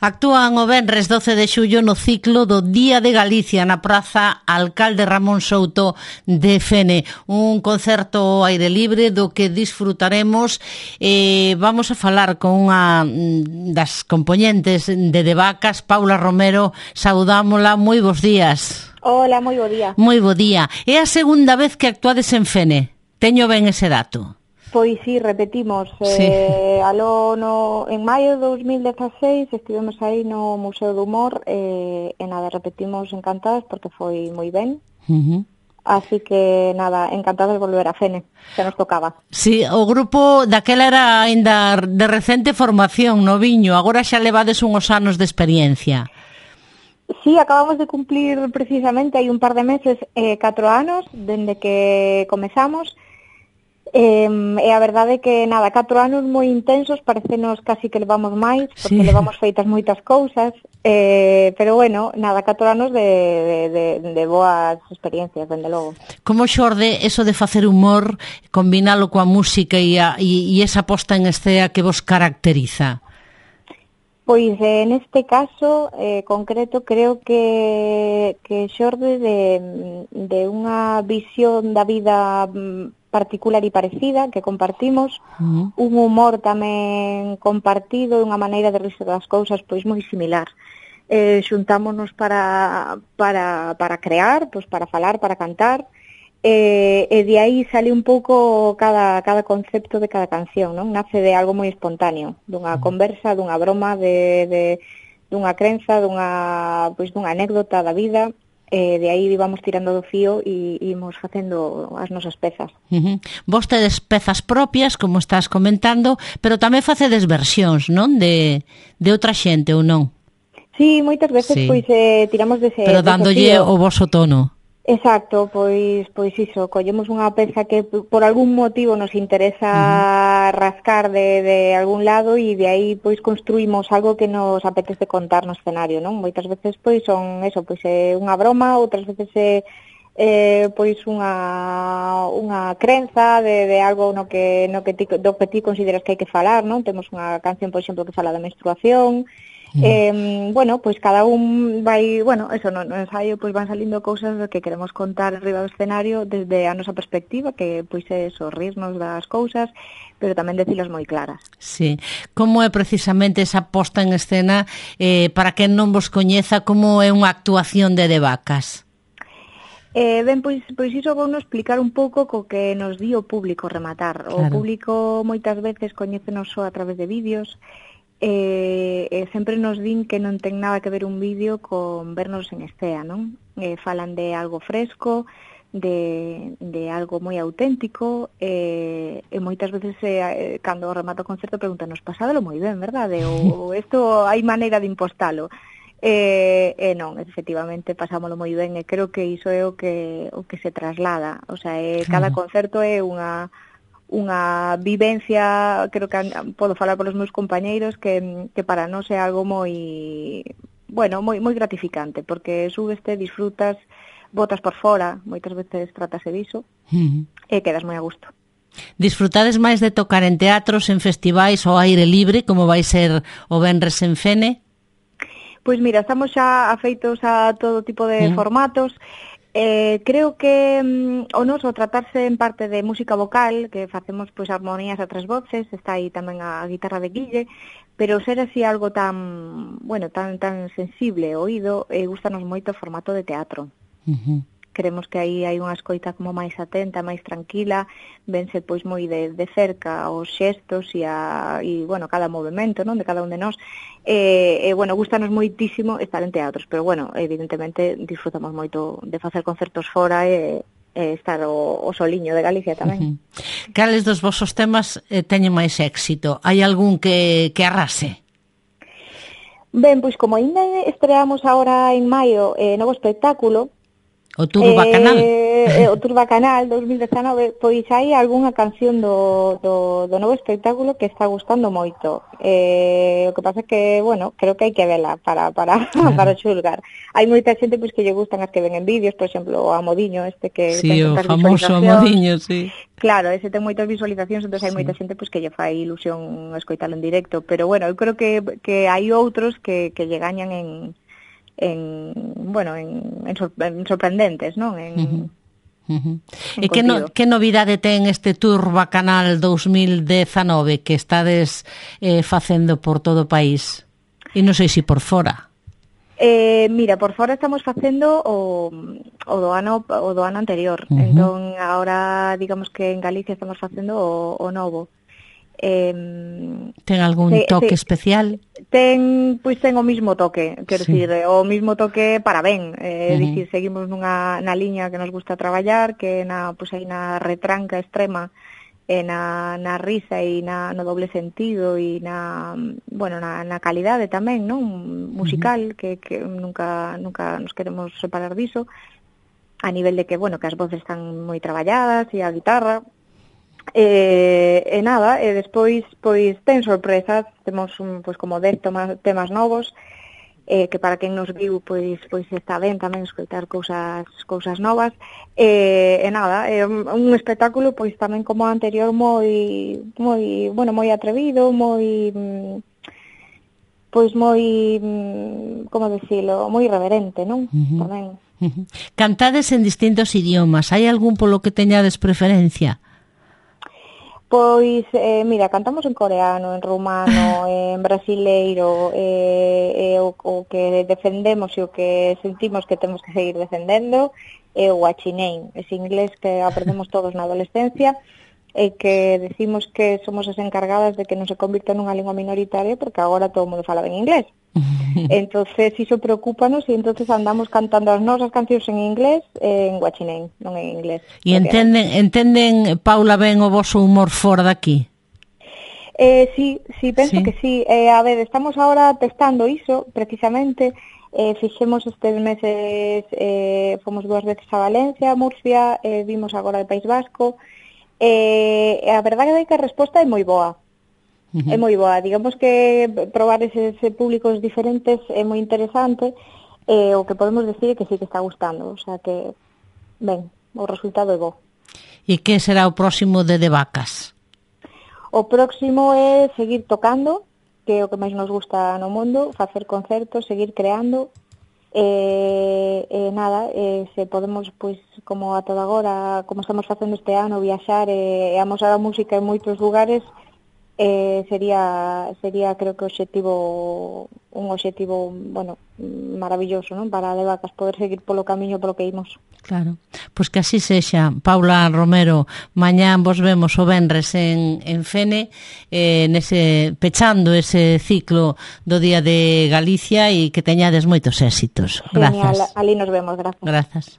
Actúan o venres 12 de xullo no ciclo do Día de Galicia na Praza Alcalde Ramón Souto de Fene. Un concerto ao aire libre do que disfrutaremos. Vamos a falar con unha das componentes de Devacas, Paula Romero. Saudámola, moi bons días. Hola, moi bo día. Moi bo día. É a segunda vez que actuades en Fene. Teño ben ese dato. Pois sí, repetimos. Sí. En maio de 2016 estivemos aí no Museo do Humor e nada, repetimos encantadas porque foi moi ben. Así que nada, encantadas de volver a Fene, que nos tocaba. Sí, o grupo daquela era ainda de recente formación no Viño, agora xa levades unhos anos de experiencia. Sí, acabamos de cumplir precisamente hai un par de meses 4 anos dende que comezamos. E a verdade é que, nada, 4 anos moi intensos, parecenos casi que levamos máis, porque sí, levamos feitas moitas cousas, pero bueno, nada, 4 anos de boas experiencias, dende logo. Como xorde eso de facer humor, combinalo coa música e esa posta en escena que vos caracteriza? Pois, neste caso concreto, creo que xorde de unha visión da vida particular e parecida que compartimos, un humor tamén compartido, unha maneira de rirse das cousas pois moi similar. Xuntámonos para crear, pois para falar, para cantar, e de aí sale un pouco cada concepto de cada canción, non? Nace de algo moi espontáneo, dunha conversa, dunha broma, dunha crenza, dunha anécdota da vida. De aí vamos tirando do fío e imos facendo as nosas pezas. Vos tedes pezas propias, como estás comentando, pero tamén facedes versións, non? De outra xente, ou non? Sí, moitas veces, sí, pois tiramos dese pero dándolle o voso tono. Exacto, pois iso, collemos unha peza que por algún motivo nos interesa rascar de algún lado e de aí pois construímos algo que nos apetece contar no escenario, non? Moitas veces pois son eso, pois é unha broma, outras veces é pois unha crenza de algo do que ti consideras que hai que falar, non? Temos unha canción, por exemplo, que fala da menstruación. Bueno, pois cada un vai, eso no ensaio pois van salindo cousas que queremos contar arriba do escenario desde a nosa perspectiva, que pois é eso, rirnos das cousas, pero tamén decilas moi claras. Sí. Como é precisamente esa posta en escena, para quen non vos coñeza, como é unha actuación de Devacas? Ben, pois iso vou nos explicar un pouco co que nos di o público rematar. O público moitas veces coñécenos só a través de vídeos, sempre nos din que non ten nada que ver un vídeo con vernos en escena, non? Falan de algo fresco, de algo moi auténtico, e moitas veces cando remata o concerto pregúntanos, pasádelo moi ben, verdade? Ou isto hai maneira de impostalo? Non, efectivamente pasámoslo moi ben e creo que iso é o que se traslada, o sea, cada concerto é unha vivencia, creo que podo falar polos meus compañeiros, que para nós é algo moi gratificante, porque subeste, disfrutas, botas por fora, moitas veces trátase diso, e quedas moi a gusto. Disfrutades máis de tocar en teatros, en festivais ao aire libre, como vai ser o venres en Fene? Pois mira, estamos xa afeitos a todo tipo de formatos. Creo que o noso tratarse en parte de música vocal, que facemos pois armonías a 3 voces, está aí tamén a guitarra de Guille, pero ser así algo tan sensible ao oído, gustanos moito o formato de teatro. Creemos que aí hai unha escoita como máis atenta, máis tranquila, vense pois moi de cerca os xestos e cada movimento, non, de cada un de nós. Gustanos moitísimo estar en teatros, pero evidentemente disfrutamos moito de facer concertos fora e estar o soliño de Galicia tamén. Cales dos vosos temas teñen máis éxito? Hai algún que arrase? Ben, pois como ainda estreamos agora en maio novo espectáculo, O Tour Bacanal. O Tour Bacanal 2019, pois hai algunha canción do novo espectáculo que está gustando moito. O que pasa é que, bueno, creo que hai que vela para xulgar. Hai moita xente pois que lle gustan as que ven en vídeos, por exemplo, o Amodiño que sí, ten o famoso Amodiño, sí. Claro, ese ten moitas visualizacións, entón hai moita xente pois que lle fai ilusión escoitalo en directo, pero bueno, eu creo que hai outros que lle gañan en sorprendentes, non? E que novidade ten este Tour Bacanal 2019 que estades facendo por todo o país? E non sei se por fora. Mira, por fora estamos facendo o do ano anterior. Entón, agora, digamos que en Galicia estamos facendo o novo. Ten algún toque especial? Ten o mismo toque, quero dicir, o mismo toque para ben, dicir, seguimos na liña que nos gusta traballar, que aí na retranca extrema, na risa e no doble sentido e na calidade tamén, non, musical, que nunca nos queremos separar diso, a nivel de que, bueno, que as voces están moi traballadas e a guitarra. Despois pois ten sorpresas, temos como 10 temas novos, que para quen nos viu pois está ben tamén escoitar cousas novas, é un espectáculo pois tamén como o anterior moi atrevido, moi como decirlo, moi irreverente, non? Tamén. Cantades en distintos idiomas, hai algún polo que teñades preferencia? Pois, mira, cantamos en coreano, en rumano, en brasileiro, o que defendemos e o que sentimos que temos que seguir defendendo é o guachinein, ese inglés que aprendemos todos na adolescencia e que decimos que somos as encargadas de que non se convirta nunha lingua minoritaria porque agora todo o mundo fala ben inglés. Entonces iso preocúpanos e entonces andamos cantando as nosas cancións en inglés en guachinein, non en inglés. E entenden, Paula, ben o voso humor fora daqui? Sí, penso que sí. A ver, estamos ahora testando iso, precisamente. Fixemos estes meses, fomos 2 veces a Valencia, a Murcia, vimos agora o País Vasco. A verdade é que a resposta é moi boa. É moi boa, digamos que probar eses públicos diferentes é moi interesante, o que podemos decir é que sí que está gustando, o sea que, ben, o resultado é bo. E que será o próximo de Vacas? O próximo é seguir tocando, que é o que máis nos gusta no mundo, facer concertos, seguir creando, se podemos, pois, como a toda agora, como estamos facendo este ano, viaxar e amosar a música en moitos lugares, sería creo que un obxectivo, bueno, maravilloso, non? Para De Vacas poder seguir polo camiño polo que imos. Claro, pois que así sexa. Paula Romero, mañán vos vemos o venres en Fene, pechando ese ciclo do Día de Galicia e que teñades moitos éxitos. Grazas. Genial, ali nos vemos, grazas. Grazas.